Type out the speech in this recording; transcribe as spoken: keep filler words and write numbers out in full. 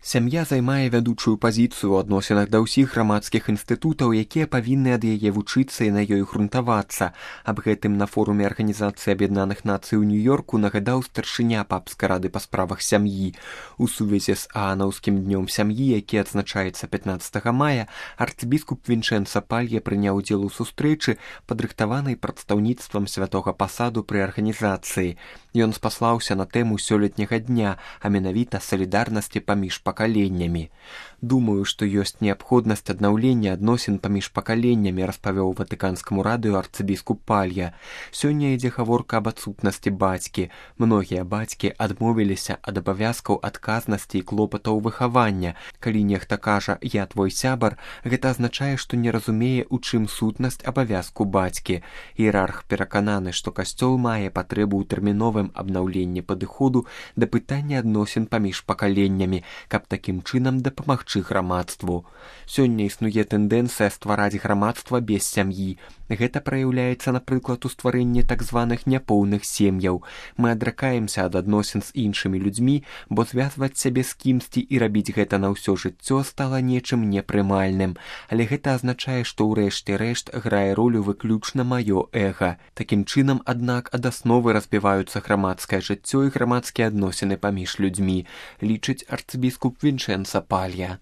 Сям'я займае вядучую пазіцыю ў адносінах да ўсіх грамадскіх інстытутаў, якія павінны ад яе вучыцца і на ёй грунтавацца. Аб гэтым на форуме Арганізацыі Аб'яднаных Нацый у Нью-Йорку нагадаў старшыня папскай рады па справах сям'і. У сувязі з Аанаўскім днём сям'і, які адзначаецца пятнаццатага мая, арцыбіскуп Вінчэнца Палья прыняў удзел у сустрэчы, падрыхтаванай прадстаўніцтвам святога пасаду пры арганізацыі. Ён спаслаўся на тэму сёлетняга дня, а менавіта салідарнасці паміж пакаленнямі. Думаю, што ёсць неабходнасць аднаўлення адносін паміж пакаленнямі, распавёў ватыканскаму радыё арцыбіскуп Палья. Сёння ідзе гаворка аб адсутнасці бацькі. Многія бацькі адмовіліся ад абавязкаў адказнасці і клопатаў выхавання. Калі нехта кажа «я твой сябар», гэта азначае, што не разумее, у чым сутнасць абавязку бацькі. Іерарх перакананы, што касцёл мае патрэбу ў тэрміновым абнаўленні падыходу да пытання адносін паміж пакаленнямі, каб такім чынам дапамагчы грамадству. Сёння існуе тэндэнцыя ствараць грамадства без сям'і. Гэта праяўляецца, напрыклад, у стварэнні так званых няпоўных сем'яў. Мы адракаемся ад адносін з іншымі людзьмі, бо звязваць сябе з кімсьці і рабіць гэта на ўсё жыццё стала нечым непрымальным. Але гэта азначае, што ў рэшце рэшт грае ролю выключна маё эга. Такім чынам, аднак, ад асновы разбіваюцца грамадскае жыццё і грамадскія адносіны паміж людзьмі, лічыць арцыбіскуп Вінчэнца Палья.